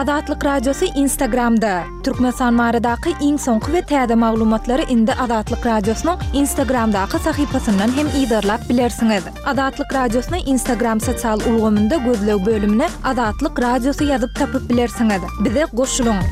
Azatlyk Radiosy Instagramda! Türkmenistan baradaky iň soňky we täze maglumatlary indi Azatlyk Radiosynyň Instagramdaky sahypasyndan hem yzarlap bilersiňiz. Azatlyk Radiosyny Instagram sosial ulgamynda gözleg bölümine Azatlyk Radiosy ýazyp tapyp bilersiňiz. Bize goşulyň!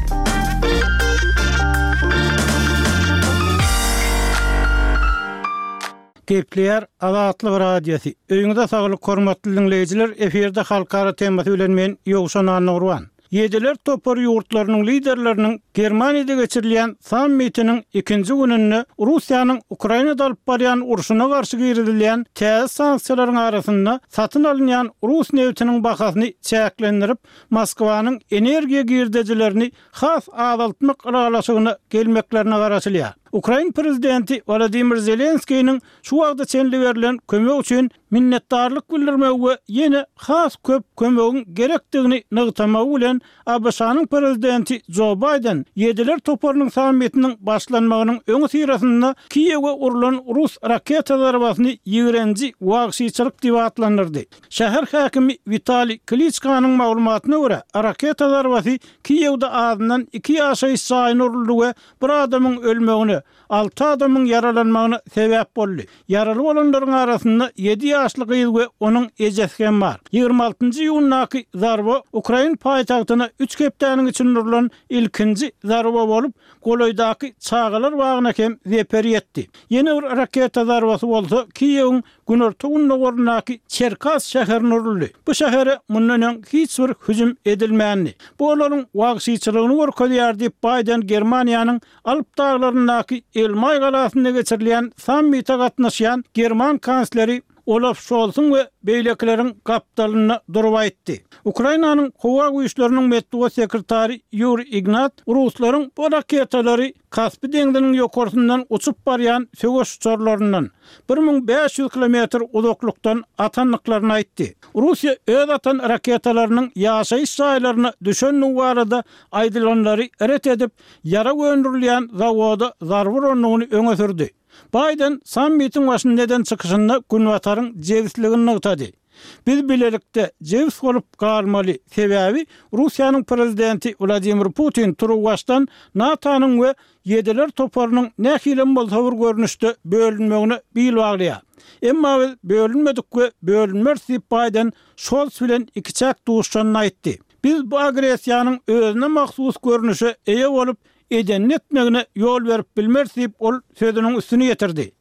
Gepleýär Azatlyk Radiosy. Öýüňize saglyk hormatly diňleýjiler, efirde halkara temasy bilen men Ýowşan Annagurban. Ýediler topary ýurtlarynyň liderleriniň Germaniýada geçirilýän sammitiniň ikinji gününde Russiýanyň Ukrainada alyp barýan urşuna garşy girizilýän täze sanksiýalaryň arasynda satyn alynýan rus nebitiniň bahasyny çäklendirip, Moskwanyň energiýa girdejilerini has azaltmak ylalaşygyna gelmeklerine garaşylýar. Ukrain prezidenti Wolodymyr Zelenskiniň şu wagta çenli berlen kömek üçin minnetdarlyk bildirmegi we ýene has köp kömegiň gerekdigini nygtamagy bilen ABŞ-nyň prezidenti Jo Baýden Ýediler toparynyň sammitiniň başlanmagynyň öňüsyrasynda Kiýewe urlan rus raketa zarbasyny ýigrenji wagşyçylyk diýip atlandyrdy. Şäher häkimi Witaliý Kliçkanyň maglumatyna görä, raketa zarbasy Kiýewde azyndan iki ýaşaýyş jaýyna uruldy we bir adamyň ölmegine, alty adamyň ýaralanmagyna sebäp boldy. Ýaraly bolanlaryň arasynda ýedi ýaşly gyz we onuň ejesi hem bar. Ýigrimi altynjy iýundaky zarba ukrain paýtagtyna üç hepdäniň içinde urlan ilkinji zarba bolup, golaýdaky çagalar bagyna hem zeper ýetdi. Ýene bir raketa zarbasy bolsa Kiýewiň günorta-gündogaryndaky Çerkas şäherine uruldy. Bu şähere mundan öň hiç bir hüjüm edilmändi. Bu olaryň wagşyçylygyny görkezýär diýip, Baýden Germaniýanyň Alp daglaryndaky Elmaý galasynda geçirilýän sammite gatnaşýan german kansleri Olaf Şolsuň we beýlekileriň gapdalynda durup aýtdy. Ukrainanyň howa güýçleriniň metbugat sekretary Ýuriý Ignat ruslaryň bu raketalary Kaspi deňziniň ýokarsyndan uçup barýan söweş uçarlaryndan, 1500 kilometr uzaklykdan atandyklaryny aýtdy. Russiýa öz atan raketalarynyň ýaşaýyş jaýlaryna düşendigi barada aýdylanlary ret edip, ýarag öndürilýän zawoda zarba urandygyny öňe sürdi. Baýden sammitiň başynda eden çykyşynda Günbataryň jebisligini nygtady. Biz bilelikde jebis bolup galmaly, sebäbi Russiýanyň prezidenti Wladimir Putin turuwbaşdan NATO-nyň we Ýediler toparynyň nähilem bolsa bir görnüşde bölünmegine bil baglaýar. Emma biz bölünmedik we bölünmeris diýip Baýden Şolz bilen ikiçäk duşuşanda aýtdy. Biz bu agressiýanyň özüne mahsus görnüşe eýe bolup, edenini etmegine ýol berip bilmeris diýip ol sözüniň üstüni ýetirdi.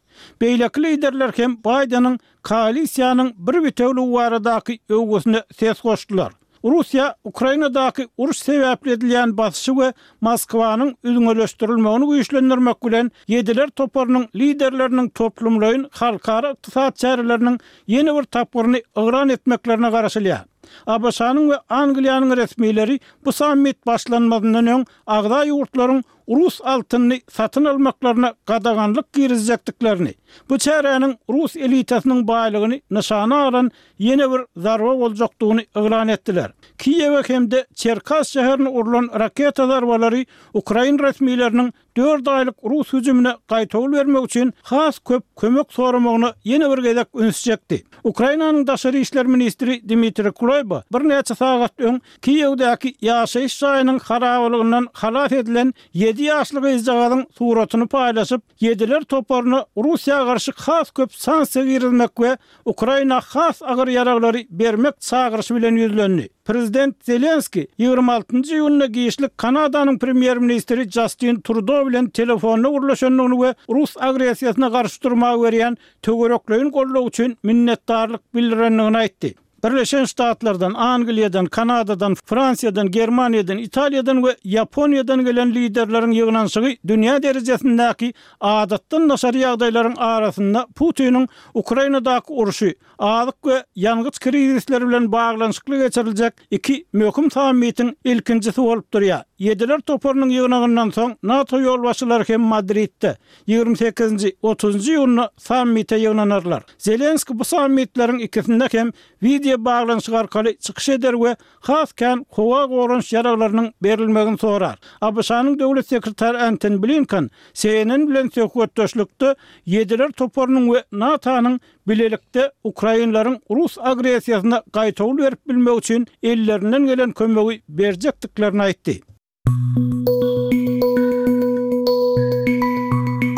Beýleki liderler hem Baýdeniň koalisiýanyň bir bitewiligi baradaky öwgüsine ses goşdular. Russiýa Ukrainadaky uruş sebäpli edilýän basyşy we Moskwanyň üzňeleşdirilmegini güýçlendirmek bilen Ýediler toparynyň liderleriniň toplumlaýyn halkara ykdysady çäreleriniň ýene bir tapgyryny yglan etmeklerine garaşylýar. ABŞ-nyň we Angliýanyň resmileri bu sammit başlanmazyndan öň agza ýurtlaryň rus altynyny satyn almaklaryna gadaganlyk girizjekdiklerini, bu çäräniň rus elitasynyň baýlygyny nyşana alan ýene bir zarba boljakdygyny yglan etdiler. Kiýewe hem-de Çerkas şäherine urlan raketa zarbalary ukrain resmileriniň dört aýlyk rus hüjümine gaýtawul bermek üçin has köp kömek soramagyna ýene bir gezek üns çekdi. Ukrainanyň daşary işler ministri Dmitriý Kuleba birnäçe sagat öň Kiýewdäki ýaşaýyş jaýynyň harabalygyndan halas edilen ýedi ýaşly gyzjagazyň suratyny paýlaşyp, Ýediler toparyna Russiýa garşy has köp sanksiýa girizmek we Ukraina has agyr ýaraglary bermek çagyryşy bilen ýüzlendi. Prezident Zelenskiý ýigrimi altynjy iýunda giçlik Kanadanyň premýer-ministri Jastin Trudo bilen telefonda gürleşendigini we rus agressiýasyna garşy durmaga berýän töwerekleýin goldaw üçin minnetdarlyk bildirendigini aýtdy. Birleşen Ştatlardan, Angliýadan, Kanadadan, Fransiýadan, Germaniýadan, Italiýadan we Ýaponiýadan gelen liderleriň ýygnanyşygy dünýä derejesindäki adatdan daşary ýagdaýlaryň arasynda Putiniň Ukrainadaky urşy, azyk we ýangyç krizisleri bilen baglanyşykly geçiriljek iki möhüm sammitiň ilkinjisi bolup durýar. Ýediler toparynyň ýygnagyndan soň NATO ýolbaşçylary hem Madridde, ýigrimi sekizinji, otuzynjy iýunda sammite ýygnanarlar. Zelenskiý bu sammitleriň ikisinde hem wideo baglanyşyk arkaly çykyş eder we has kän howa goranyş ýaraglarynyň berilmegini sorar. ABŞ-nyň döwlet sekretary Antony Blinken CNN bilen söhbetdeşlikde Ýediler toparynyň we NATO-nyň. bilelikde ukrainleriň rus agressiýasyna gaýtawul berip bilmegi üçin ellerinden gelen kömegi berjekdiklerini aýtdy.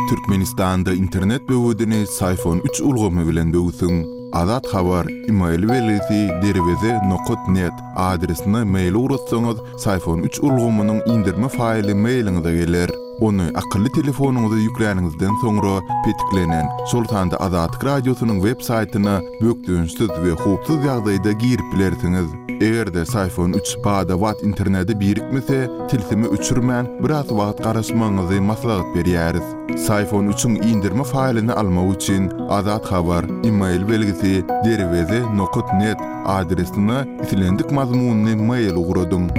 Türkmenistanda internet böwedini Syfon üç ulgamy bilen böwsüň. Azat Habar, email belgisi derweze nokat net adresine mail ugratsaňyz, Syfon üç ulgamynyň indirme faýly mailiňize geler. Ony akylly telefonyňyza ýükläniňizden soňra petiklenen, şol sanda Azatlyk Radiosynyň web saýtyna bökdençsiz we howpsuz ýagdaýda girip bilersiňiz. Eger-de Syfon üç bada-bat internete birikmese, tilsimi öçürmän, biraz wagt garaşmagyňyzy maslahat berýäris. Syfon üçiň indirme faýlyny almak üçin Azat Habar, email belgisi, derweze nokat net adresine islendik mazmunly mail ugradyň.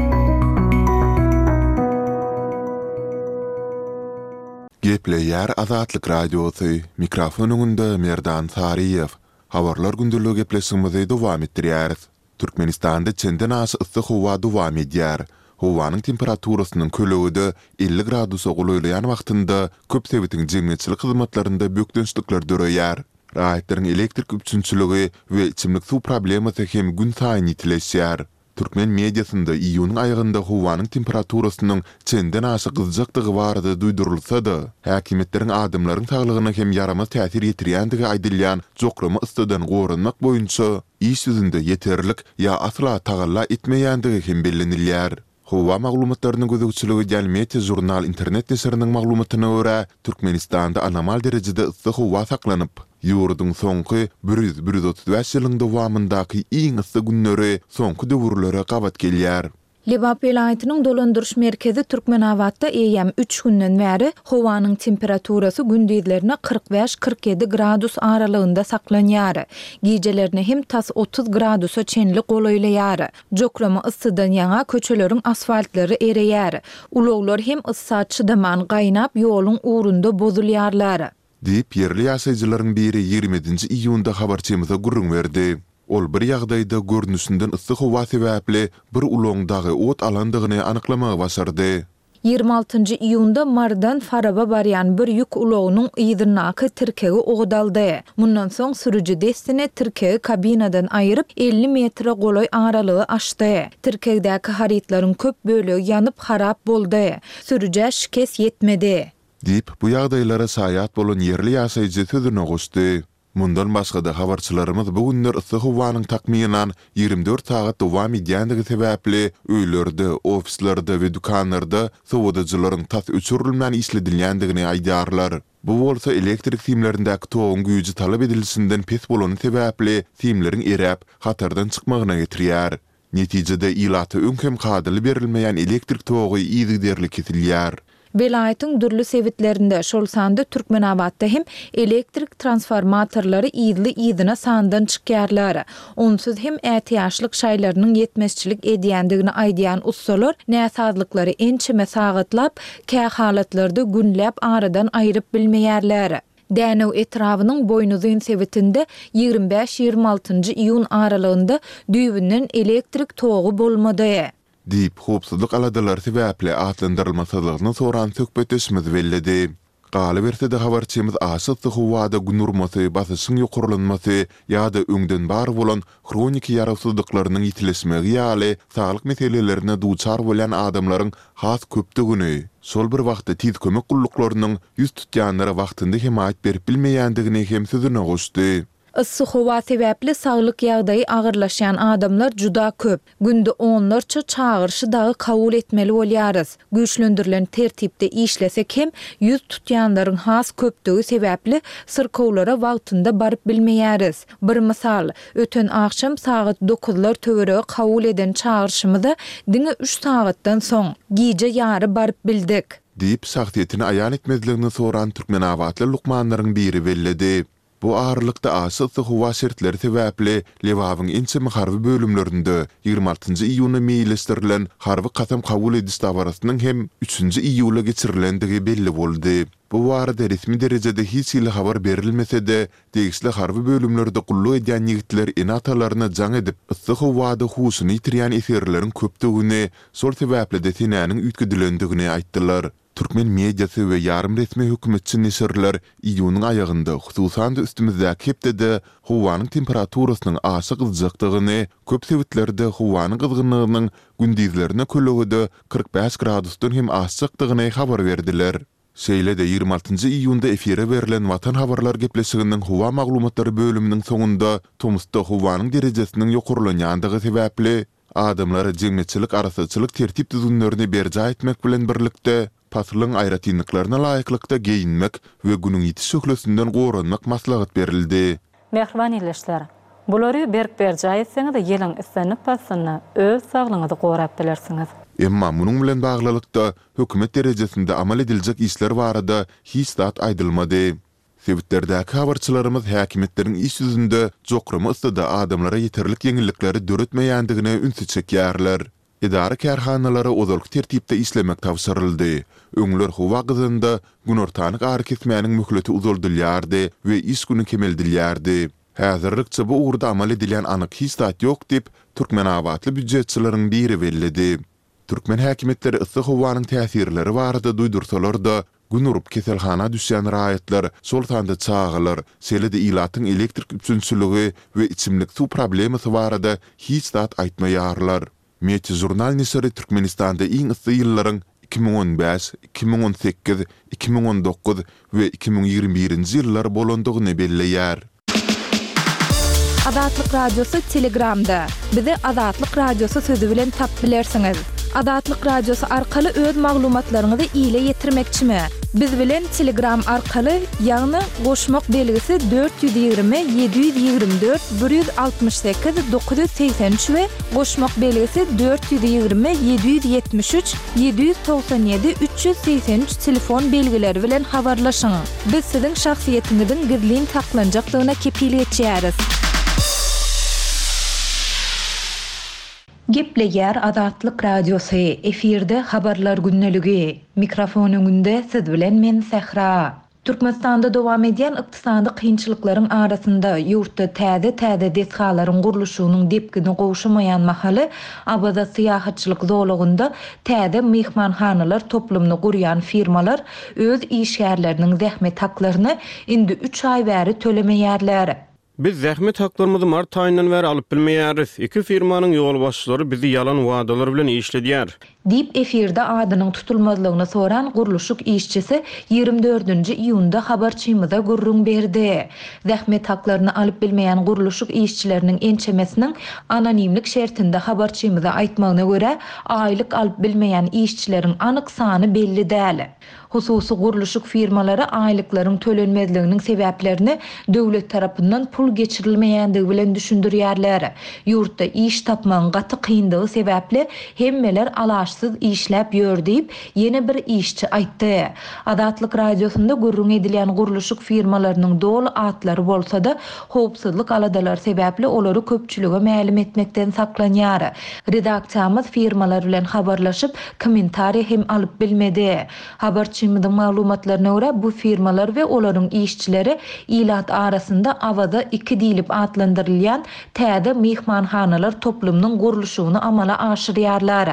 Gepleýär Azatlyk Radiosy, mikrofon öňünde Merdan Saryýew. Habarlar gündeligi gepleşigimizi dowam etdirýäris. Türkmenistanda çenden aşa yssy howa dowam edýär. Howanyň temperaturasynyň kölegede 50 gradusa golaýlaýan wagtynda köp sebitiň jemgyýetçilik hyzmatlarynda bökdençlikler döreýär. Raýatlaryň elektrik üpjünçiligi we içimlik suw problemasy hem günsaýyn ýitileşýär. Türkmen mediasynda iýunyň aýagynda howanyň temperaturasynyň çenden aşa gyzjakdygy barada duýdurylsa-da, häkimiýetleriň adamlaryň saglygyna hem ýaramaz täsir ýetirýändigi aýdylýan jokrama yssydan goranmak boýunça iş ýüzünde ýeterlik ýa asla tagalla etmeýändigi hem bellenilýär. Howa maglumatlaryna gözegçilik edýän Meteožurnal internet neşiriniň maglumatyna görä, Türkmenistanda anomal derejede yssy howa saklanyp, ýurduň soňky bir ýüz-bir 135 ýylyň dowamyndaky iň yssy günleri soňky döwürlere gabat gelýär. Lebap welaýatynyň dolandyryş merkezi Türkmenabatda eýýäm üç günden bäri howanyň temperaturasy gündizlerine 45-47 gradus aralygynda saklanýar. Gijelerine hem tas 30 gradusa çenli golaýlaýar. Jokrama yssydan ýaňa köçeleriň asfaltlary ereýär. Ulaglar hem yssa çydaman gaýnap ýoluň ugrunda bozulýarlar. Diýip, ýerli ýaşaýjylaryň biri ýigrimi ýedinji iýunda habarçymyza gürrüň berdi. Ol bir ýagdaýda görnüşinden yssy howa sebäpli bir ulagyň dagy ot alandygyny anyklamagy başardy. Ýigrimi altynjy iýunda Marydan Faraba barýan bir ýük ulagynyň yzyndaky tirkegi ot aldy. Mundan soň sürüji dessine tirkegi kabinadan aýyryp, 50 metre golaý aralygy aşdy. Tirkegdäki harytlaryň köp bölegi ýanyp harap boldy. Sürüjä şikes ýetmedi. Diýip, bu ýagdaýlara şaýat bolan ýerli ýaşaýjy sözüne goşdy. Mundan başga-da, habarçylarymyz bu günler yssy howanyň takmynan 24 sagat dowam edýändigi sebäpli, öýlerde, ofislerde we dükanlarda sowadyjylaryň tas öçürilmän işledilýändigini aýdýarlar. Bu bolsa elektrik simlerindäki toguň güýji talap edilişinden pes bolany sebäpli simleriň eräp, hatardan çykmagyna getirýär. Netijede, ilata öň hem kadaly berilmeýän elektrik togy yzygiderli kesilýär. Welaýatyň dürli sebitlerinde, şol sanda Türkmenabatda hem elektrik transformatorlary yzly-yzyna sandan çykýarlar. Onsuz hem ätiýaçlyk şaýlarynyň ýetmezçilik edýändigini aýdýan ussalar näsazlyklary ençeme sagatlap, kähalatlarda günläp aradan aýryp bilmeýärler. Dänew etrabynyň Boýnuzyn sebitinde 25-26 altynjy iýun aralygynda düýbünden elektrik togy bolmady. Diýip, howpsuzlyk aladalary sebäpli atlandyrylmasyzlygyny soran söhbetdeşimiz belledi. Galyberse-de, habarçymyz aşa yssy howada gün urmasy, basyşyň ýokarlanmasy ýa-da öňden bar bolan hroniki ýarawsyzlyklarynyň ýitileşmegi ýaly saglyk meselelerine duçar bolýan adamlaryň has köpdügini, şol bir wagtda tiz kömek gulluklarynyň ýüz tutýanlara wagtynda hemaýat berip bilmeýändigini hem sözüne goşdy. Yssy howa sebäpli saglyk ýagdaýy agyrlaşýan adamlar juda köp. Günde onlarça çagyryşy dagy kabul etmeli bolýarys. Güýçlendirilen tertipde işlesek hem, ýüz tutýanlaryň has köpdügi sebäpli syrkawlara wagtynda baryp bilmeýäris. Bir mysal, öten agşam sagat dokuzlar töweregi kabul eden çagyryşymyza diňe üç sagatdan soň, gije ýary baryp bildik. Diýip, şahsyýetini aýan etmezligini soran türkmenabatly lukmanlaryň biri belledi. Bu aralykda aşa yssy howa şertleri sebäpli Lebabyň ençeme harby bölümlerinde 26 nji iýuna meýilleşdirilen harby kasam kabul ediş dabarasynyň hem üçünji iýula geçirilendigi belli boldy. Bu barada resmi derejede hiç hili habar berilmese-de, degişli harby bölümlerde gulluk edýän ýigitler ene-atalaryna jaň edip, yssy howada huşuny ýitirýän esgerleriň köpdügini, şol sebäpli-de senäniň üýtgedilendigini aýtdylar. Türkmen mediasy we ýarym resmi hökümetçi neşirler iýunyň aýagynda, hususan-da üstümizdäki hepdede howanyň temperaturasynyň aşa gyzjakdygyny, köp sebitlerde howanyň gyzgynlygynyň gündizlerine kölegede 45 gradusdan hem aşjakdygyny habar berdiler. Şeýle-de ýigrimi altynjy iýunda efire berlen Watan habarlar gepleşiginiň howa maglumatlary bölüminiň soňunda tomusda howanyň derejesiniň ýokarlanýandygy sebäpli, Adamlara jemgyýetçilik arassaçylyk tertip-düzgünlerini berjaý etmek bilen birlikde, paslyň aýratynlyklaryna laýyklykda geýinmek we Günüň ýiti şöhlesinden goranmak maslahat berildi. Mähriban ildeşler! Bulary berk berjaý etseňiz, ýylyň islendik paslynda öz saglygyňyzy gorap bilersiňiz. Emma munuň bilen baglylykda, hökümet derejesinde amal ediljek işler barada hiç zat aýdylmady. Sebitlerdäki habarçylarymyz häkimiýetleriň iş ýüzünde jokrama yssyda adamlara ýeterlik ýeňillikleri döretmeýändigine ünsi çekýärler. Edara-kärhanalara ozalky tertipde işlemek tabşyryldy. Öňler howa gyzanda günortanyk arakesmäniň möhleti uzaldylýardy we iş güni kemeldilýärdi. Häzirlikçe bu ugurda amal edilýän anyk hiç zat ýok diýip, türkmenabatly býujetçileriň biri belledi. Türkmen häkimiýetleri yssy howanyň täsirleri barada duýdursalar-da, Gün urup keselhana düşýän raýatlar, şol sanda çagalar, şeýle-de ilatyň elektrik üpjünçiligi we içimlik suw problemasy barada hiç zat aýtmaýarlar. Meteožurnal neşiri Türkmenistanda iň yssy ýyllaryň 2015, 2018, 2019 we 2021-nji ýyllar bolandygyny belleýär. Azatlyk Radiosy Telegramda. Bizi Azatlyk Radiosy sözi bilen tap bilersiňiz. Azatlyk Radiosy arkaly öz maglumatlaryňyzy ile ýetirmekçimi? Biz bilen Telegram arkaly, ýagny goşmak belgisi 420 724 168 983 we goşmak belgisi 420 773 797 383 telefon belgileri bilen habarlaşyň. Biz siziň şahsyýetiňiziň gizlin saklanjakdygyna kepil geçýäris. Gepleýär Azatlyk Radiosy, efirde Habarlar gündeligi. Mikrofon öňünde siz bilen men Sähra. Türkmenistanda dowam edýän ykdysady kynçylyklaryň arasynda, ýurtda täze-täze desgalaryň gurluşygynyň depgini gowşamaýan mahaly, Awaza syýahatçylyk zolagynda täze myhmanhanalar toplumyny gurýan firmalar öz işgärleriniň zähmet haklaryny indi üç aý bäri tölemeýärler. Biz zähmet haklarymyzy mart aýyndan bäri alyp bilmeýäris. Iki firmanyň ýolbaşçylary bizi ýalan wadalar bilen işledýär. Diýip, efirde adynyň tutulmazlygyny soran gurluşyk işçisi ýigrimi dördünji iýunda habarçymyza gürrüň berdi. Zähmet haklaryny alyp bilmeýän gurluşyk işçileriniň ençemesiniň anonimlik şertinde habarçymyza aýtmagyna görä, aýlyk alyp bilmeýän işçileriň anyk sany belli däl. Hususy gurluşyk firmalary aýlyklaryň tölenmezliginiň sebäplerini döwlet tarapyndan pul geçirilmeýändigi bilen düşündirýärler. Ýurtda iş tapmagyň gaty kyndygy sebäpli hemmeler alaçsyz işläp ýör diýip, ýene bir işçi aýtdy. Azatlyk Radiosynda gürrüň edilýän gurluşyk firmalarynyň doly atlary bolsa-da, howpsuzlyk aladalary sebäpli olary köpçülige mälim etmekden saklanýar. Redaksiýamyz firmalar bilen habarlaşyp, kommentariýa hem alyp bilmedi. Habarçymyzyň maglumatlaryna görä, bu firmalar we olaryň işçileri ilat arasynda Awaza iki diýlip atlandyrylýan täze myhmanhanalar toplumynyň gurluşygyny amala aşyrýarlar.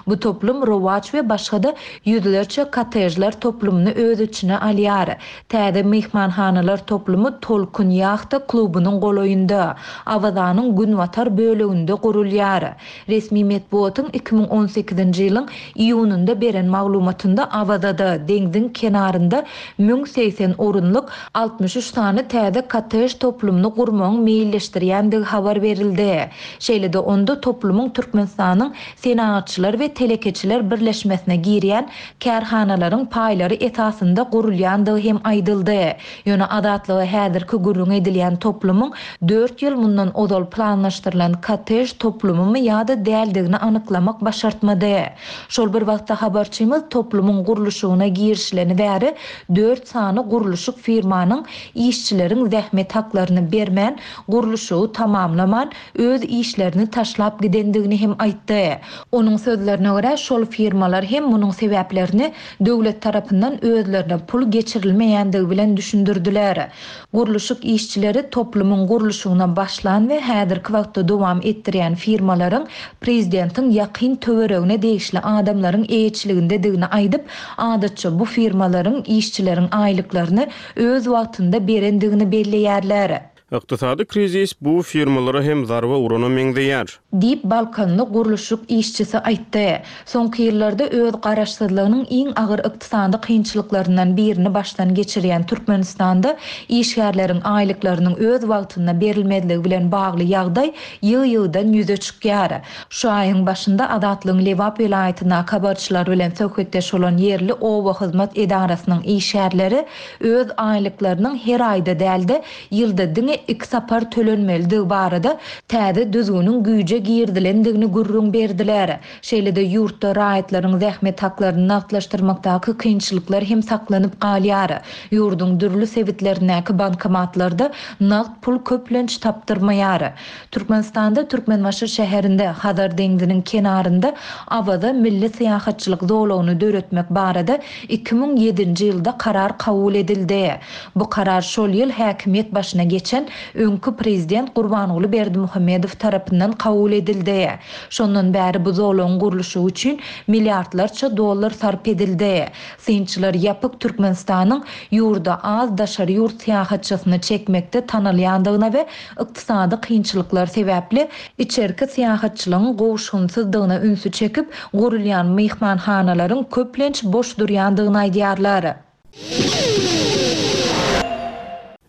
Bu toplum Rowaç we başga-da ýüzlerçe kottejler toplumyny öz içine alýar. Täze myhmanhanalar toplumy Tolkun ýahta klubunyň golaýynda, Awazanyň günbatar böleginde gurulýar. Resmi metbugatyň 2018-nji ýylyň iýunynda beren maglumatynda Awazada, deňziň kenarynda 1080 orunlyk 63 sany täze kottej toplumyny gurmagyň meýilleşdirýändigi habar berildi. Şeýle-de onda toplumyň Türkmenistanyň Senagatçylar we telekeçiler birleşmesine girýän kärhanalaryň paýlary esasynda gurulýandygy hem aýdyldy. Ýöne Azatlyga häzirki gürrüňi edilýän toplumyň dört ýyl mundan ozal planlaşdyrylan kottej toplumymy ýa-da däldigini anyklamak başartmady. Şol bir wagtda habarçymyz toplumyň gurluşygyna girişileni bäri dört sany gurluşyk firmanyň işçileriň zähmet haklaryny bermän, gurluşygy tamamlaman, öz işlerini taşlap gidendigini hem aýtdy. Onuň sözlerine görä, görä, şol firmalar hem munuň sebäplerini döwlet tarapyndan özlerine pul geçirilmeýändigi bilen düşündirdiler. Gurluşyk işçileri toplumyň gurluşygyna başlan we häzirki wagtda dowam etdirýän firmalaryň prezidentiň ýakyn töweregine degişli adamlaryň eýeçiligindedigini aýdyp, adatça bu firmalaryň işçileriň aýlyklaryny öz wagtynda berendigini belleýärler. Ykdysady krizis bu firmalara hem zarba urana meňzeýär. Diýip, balkanly gurluşyk işçisi aýtdy. Soňky ýyllarda öz garaşsyzlygynyň iň agyr ykdysady kynçylyklaryndan birini başdan geçirýän Türkmenistanda işgärleriň aýlyklarynyň öz wagtynda berilmezligi bilen bagly ýagdaý ýygy-ýygydan ýüze çykýar. Şu aýyň başynda Azatlygyň Lebap welaýatyndaky habarçylary bilen söhbetdeş bolan ýerli oba hyzmat edarasynyň işgärleri öz aýlyklarynyň her aýda däl-de, ýylda diňe iki sapar tölenmelidigi barada täze düzgüniň güýje girizilendigini gürrüň berdiler. Şeýle-de ýurtda raýatlaryň zähmet haklaryny nagtlaşdyrmakdaky kynçylyklar hem saklanyp galýar. Ýurduň dürli sebitlerindäki bankomatlarda nagt pul köplenç tapdyrmaýar. Türkmenistanda Türkmenbaşy şäherinde, Hazar deňziniň kenarynda Awaza milli syýahatçylyk zolagyny döretmek barada 2007-nji ýylda karar kabul edildi. Bu karar şol ýyl häkimiýet başyna geçen öňki prezident Gurbanguly Berdimuhamedow tarapyndan kabul edildi. Şondan bäri bu zolagyň gurluşygy üçin milliardlarça dollar sarp edildi. Synçylar ýapyk Türkmenistanyň ýurda az daşary ýurt syýahatçysyny çekmekde tanalýandygyna we ykdysady kynçylyklar sebäpli içerki syýahatçylygyň gowuşgynsyzdygyna ünsi çekip, gurulýan myhmanhanalaryň köplenç boş durýandygyny aýdýarlar.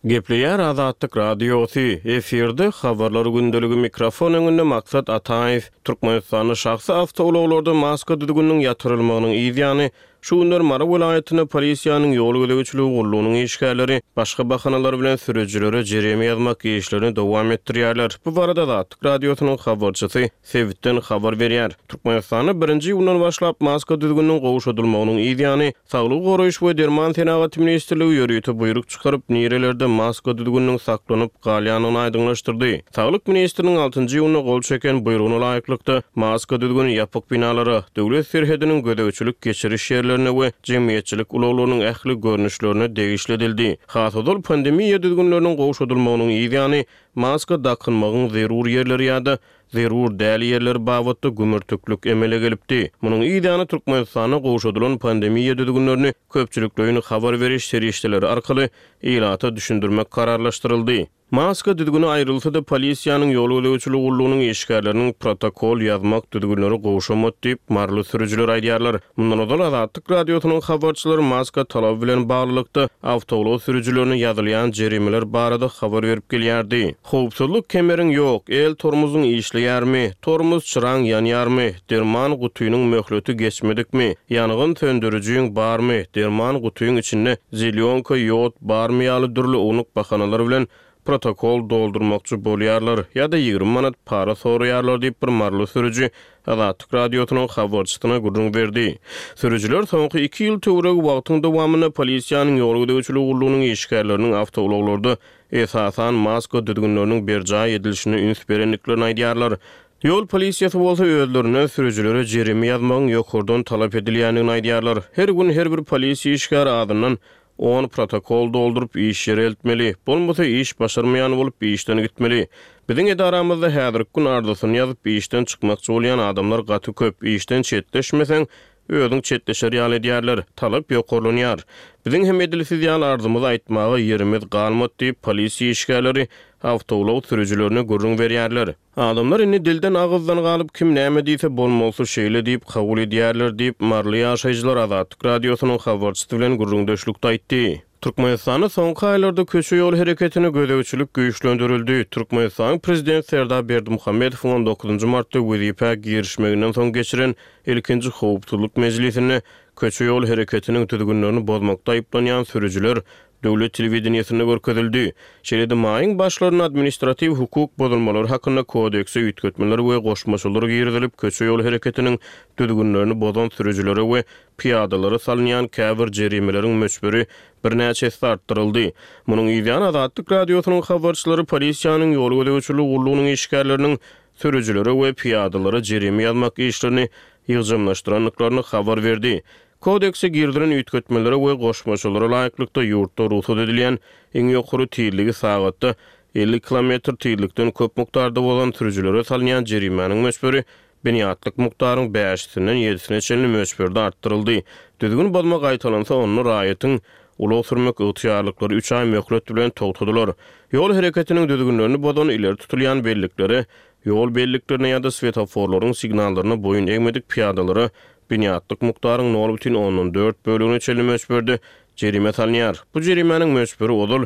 Gepleýär Azatlyk Radiosy, efirde Habarlar gündeligi mikrofon öňünde Maksat Ataýew. Türkmenistanda şahsy awtoulaglarda maska düzgüniniň ýatyrylmagynyň yz ýany, Şu günler Mary welaýatynda polisiýanyň ýol gözegçiligi gullugynyň işgärleri başga bahanalar bilen sürüjilere jerime ýazmak işlerini dowam etdirýärler. Bu barada Azatlyk Radiosynyň habarçysy sebitden habar berýär. Türkmenistanda birinji iýundan başlap maska düzgüniniň gowşadylmagynyň yz ýany, Saglygy goraýyş we derman senagaty ministrligi ýörite buýruk çykaryp, nirelerde maska düzgüniniň saklanyp galýandygyny aýdyňlaşdyrdy. Saglyk ministriniň altynjy iýunda gol çeken buýrugyna laýyklykda, maska düzgüni ýapyk binalara, döwlet serhediniň gözegçilik-geçiriş ýerlerine we jemgyýetçilik ulaglarynyň ähli görnüşlerine degişli edildi. Has ozal pandemiýa düzgünleriniň gowşadylmagynyň yz ýany, maska dakynmagyň zerur ýerleri ýa-da zerur däl ýerleri babatda gümürtiklik emele gelipdi. Munuň yz ýany Türkmenistanda gowşadylan pandemiýa düzgünlerini köpçülikleýin habar beriş serişdeleri arkaly ilata düşündirmek kararlaşdyryldy. Maska düzgüni aýrylsa-da, polisiýanyň ýol gözegçiligi gullugynyň işgärleriniň protokol ýazmak düzgünleri gowşamady diýip, maryly sürüjiler aýdýarlar. Mundan ozal Azatlyk Radiosynyň habarçylary maska talaby bilen baglylykda, awtoulag sürüjilerine ýazylýan jerimeler barada habar berip gelýärdi. Howpsuzlyk kemeriň ýok, el tormozyň işleýärmi, tormoz çyraň ýanýarmy, derman gutynyň möhleti geçmedikmi, ýangyn söndürijiň barmy, derman gutyň içinde zelýonka, ýod barmy ýaly dürli ownuk bahanalar bilen protokol doldurmakçy bolýarlar ýa-da 20 manat para soraýarlar diýip bir maryly sürüji Azatlyk Radiosynyň habarçysyna gürrüň berdi. Sürüjiler soňky iki ýyl töweregi wagtyň dowamynda polisiýanyň ýol gözegçiligi gullugynyň işgärleriniň awtoulaglarda esasan, maska düzgünleriniň berjaý edilişine üns berendiklerini aýdýarlar. Ýol polisiýasy bolsa özlerinden sürüjilere jerime ýazmagyň ýokardan talap edilýändigini aýdýarlar. Her gün her bir polisiýa işgäri azyndan on protokol dolduryp iş ýere eltmeli. Bolmasa iş başarmaýan bolup işden gitmeli. Biziň edaramyzda häzirki gün arzasyny ýazyp işden çykmakçy bolýan adamlar gaty köp. Işden çetleşmeseň, Özüň çetleşer ýaly edýärler. Talap ýokarlanýar. Biziň hem edil siz ýaly arzymyzy aýtmaga ýerimiz galmady diýip, polisiýa işgärleri awtoulag sürüjilerine gürrüň berýärler. Adamlar indi dilden-agyzdan galyp, kim näme diýse bolmalysy şeýle diýip kabul edýärler diýip, maryly ýaşaýjylar Azatlyk Radiosynyň habarçysy bilen gürrüňdeşlikde aýtdy. Türkmenistanda soňky aýlarda köçe-ýol hereketine gözegçilik güýçlendirildi. Türkmenistanyň Prezidenti Serdar Berdimuhamedowyň on dokuzynjy martda wezipä girişmeginden soň geçiren ilkinji howpsuzlyk mejlisinde köçe-ýol hereketiniň düzgünlerini bozmakda aýyplanýan sürüjiler döwlet telewideniýesinde görkezildi. Şeýle-de maýyň başlarynda Administratiw hukuk bozulmalary hakynda kodekse üýtgetmeler we goşmaçalar girizilip, köçe-ýol hereketiniň düzgünlerini bozan sürüjilere we pyýadalara salynýan käbir jerimeleriň möçberi birnäçe esse artdyryldy. Munuň yzýany Azatlyk Radiosynyň habarçylary polisiýanyň ýol gözegçiligi gullugynyň işgärleriniň sürüjilere we pyýadalara jerime ýazmak işlerini. ýygjamlaşdyrandyklaryny habar berdi. Kodekse girizilen üýtgetmelere we goşmaçalara laýyklykda, ýurtda rugsat edilýän iň ýokary tizligi sagatda 50 kilometr tizlikden köp mukdarda bozan sürüjilere salynýan jerimäniň möçberi binýatlyk mukdaryň bäşisinden ýedisine çenli möçberde artdyryldy. Düzgün bozma gaýtalansa, onda raýatyň ulag sürmek ygtyýarlyklary üç aý möhlet bilen togtadylar. Ýol hereketiniň düzgünlerini bozan ileri tutulýan belliklere, ýol belliklerine ýa-da swetoforlaryň signallaryna boýun egmedik pyýadalara binýatlyk mukdaryň nol bütin ondan dört bölegine çenli möçberde jerime salynýar. Bu jerimäniň möçberi ozal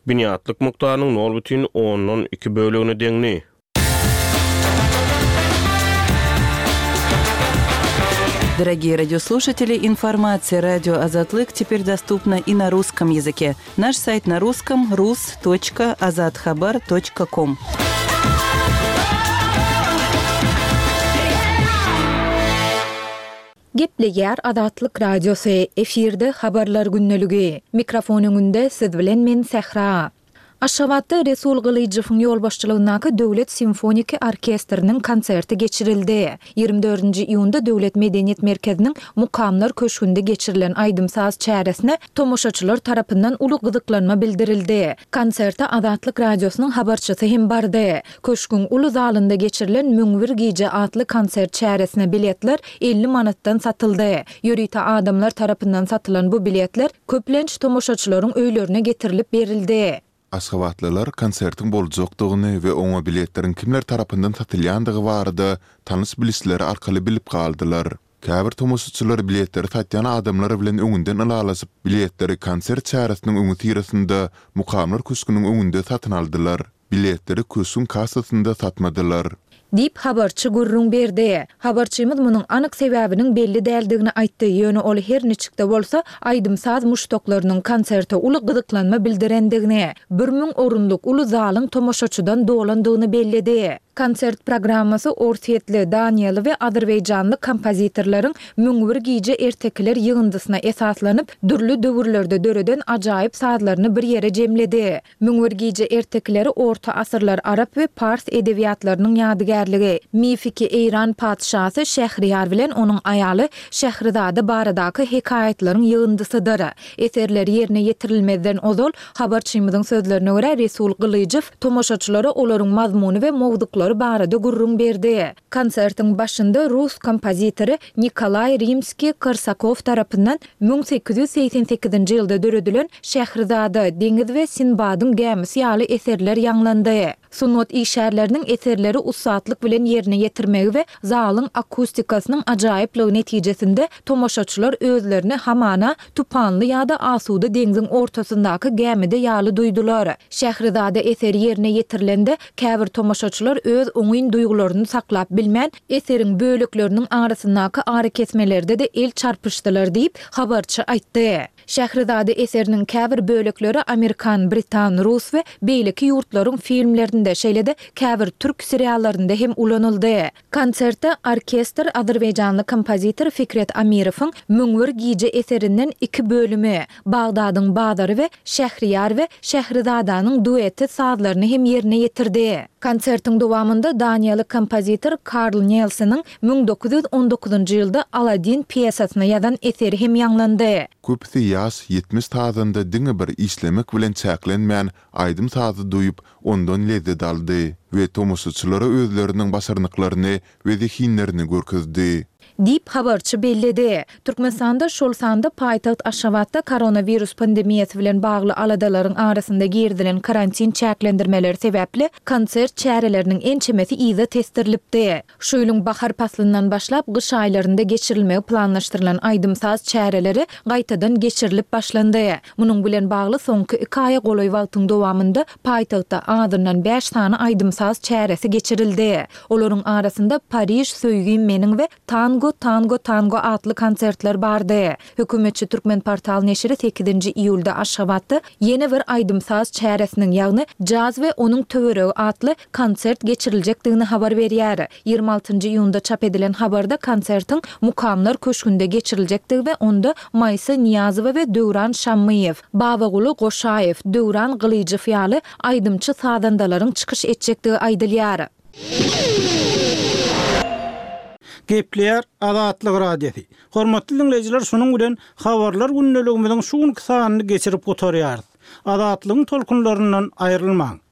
binýatlyk mukdarynyň nol bütin ondan iki bölegine deňdi. Дорогие радиослушатели, информация радио Азатлык теперь доступна и на русском языке. Наш сайт на русском rus.azathabar.com. Gepleýär Azatlyk Radiosy, efirde Habarlar gündeligi. Mikrofon öňünde siz bilen men Sähra. Aşgabatda Resul Gylyjowyň ýolbaşçylygyndaky Döwlet simfoniki orkestriniň konserti geçirildi. Ýigrimi dördünji iýunda Döwlet medeniýet merkeziniň Mukamlar köşgünde geçirilen aýdym-saz çäresine tomaşaçylar tarapyndan uly gyzyklanma bildirildi. Konserte Azatlyk Radiosynyň habarçysy hem bardy. Köşgüň uly zalynda geçirilen 1001 gije atly konsert çäresine biletler 50 manatdan satyldy. Ýörite adamlar tarapyndan satylan bu biletler köplenç tomaşaçylaryň öýlerine getirilip berildi. Aşgabatlylar konsertiň boljakdygyny we oňa biletleriň kimler tarapyndan satylýandygy barada tanyş-bilişleri arkaly bilip galdylar. Käbir tomaşaçylar biletleri satýan adamlar bilen öňünden ylalaşyp, biletleri konsert çäresiniň öňüsyrasynda Mukamlar köşgüniň öňünde satyn aldylar. Biletleri köşgüň kassasynda satmadylar. Diýip, habarçy gürrüň berdi. Habarçymyz munuň anyk sebäbiniň belli däldigini aýtdy, ýöne ol her niçik-de bolsa, aýdym-saz muşdaklarynyň konserte uly gyzyklanma bildirendigini, 1000 orunlyk uly zalyň tomaşaçydan dolandygyny belledi. Konsert programmasy orsýetli, daniýaly we azerbaýjanly kompozitorlaryň 1001 gije ertekiler ýygyndysyna esaslanyp, dürli döwürlerde döreden ajaýyp sazlaryny bir ýere jemledi. 1001 gije ertekileri orta asyrlar arap we pars edebiýatlarynyň ýadygärligi, mifiki eýran patyşasy Şähriýar bilen onuň aýaly Şährizada baradaky hekaýatlaryň ýygyndysydyr. Eserler ýerine ýetirilmezden ozal, habarçymyzyň sözlerine görä, Resul Gylyjow tomaşaçylara olaryň mazmuny we mowzuklary barada gürrüň berdi. Konsertiň başynda rus kompozitory Nikolaý Rimskiý-Korsakow tarapyndan 1888-nji ýylda döredilen Şährizada, Deňiz we Sinbadyň gämisi ýaly eserler ýaňlandy. Sungat işgärleriniň eserleri ussatlyk bilen ýerine ýetirmegi we zalyň akustikasynyň ajaýyplygy netijesinde tomaşaçylar özlerini hamana tupanly ýa-da asuda deňziň ortasyndaky gämide ýaly duýdular. Şährizada eseri ýerine ýetirilende, käbir tomaşaçylar öz oňyn duýgularyny saklap bilmän, eseriň bölekleriniň arasyndaky arakesmelerde-de el çarpyşdylar diýip, habarçy aýtdy. Şährizada eseriniň käbir bölekleri amerikan, britan, rus we beýleki ýurtlaryň filmlerinde, şeýle-de käbir türk seriallarynda hem ulanyldy. Konsertde orkestr azerbaýjanly kompozitor Fikret Amirowyň 1001 gije eserinden iki bölümi, Bagdadyň bazary we Şähriýar we Şährizadanyň dueti sazlaryny hem ýerine ýetirdi. Konsertiň dowamynda daniýaly kompozitor Karl Nelseniň 1919-njy ýylda Aladdin pýesasyna ýazan eseri hem ýaňlandy. Köpüsi ýaş 70 sazanda diňe bir işlemek bilen çäklenmän, aýdym-sazy duýup, ondan lezzet aldy we tomaşaçylara özleriniň başarnyklaryny we zehinlerini görkezdi. Diýip, habarçy belledi. Türkmenistanda, şol sanda paýtagt Aşgabatda koronawirus pandemiýasy bilen bagly aladalaryň arasynda girizilen karantin çäklendirmeleri sebäpli konsert çäreleriniň ençemesi yza tesdirilipdi. Şu ýylyň bahar paslyndan başlap gyş aýlarynda geçirilmegi planlaşdyrylan aýdym-saz çäreleri gaýtadan geçirilip başlandy. Munuň bilen bagly soňky iki aýa golaý wagtyň dowamynda paýtagtda azyndan bäş sany aýdym-saz çäresi geçirildi. Olaryň arasynda Pariž, söýgim meniň we Tango, tango, tango atly konsertler bardy. Hökümetçi Türkmenportal neşiri sekizinji iýulda Aşgabatda ýene bir aýdym-saz çäresiniň, ýagny Jaz we onuň töweregi atly konsert geçiriljekdigini habar berýär. Ýigrimi altynjy iýunda çap edilen habarda konsertiň Mukamlar köşgünde geçiriljekdigi we onda Maýsa Nyýazowa we Döwran Şammyýew, Babaguly Goşaýew, Döwran Gylyjow ýaly aýdymçy-sazandalaryň çykyş etjekdigi aýdylýar. Gepleýär Azatlyk Radiosy. Hormatly diňleýjiler şunuň bilen Habarlar gündeligimiziň şu günki sanyny geçirip gutarýarys. Azatlygyň tolkunlaryndan aýrylmaň.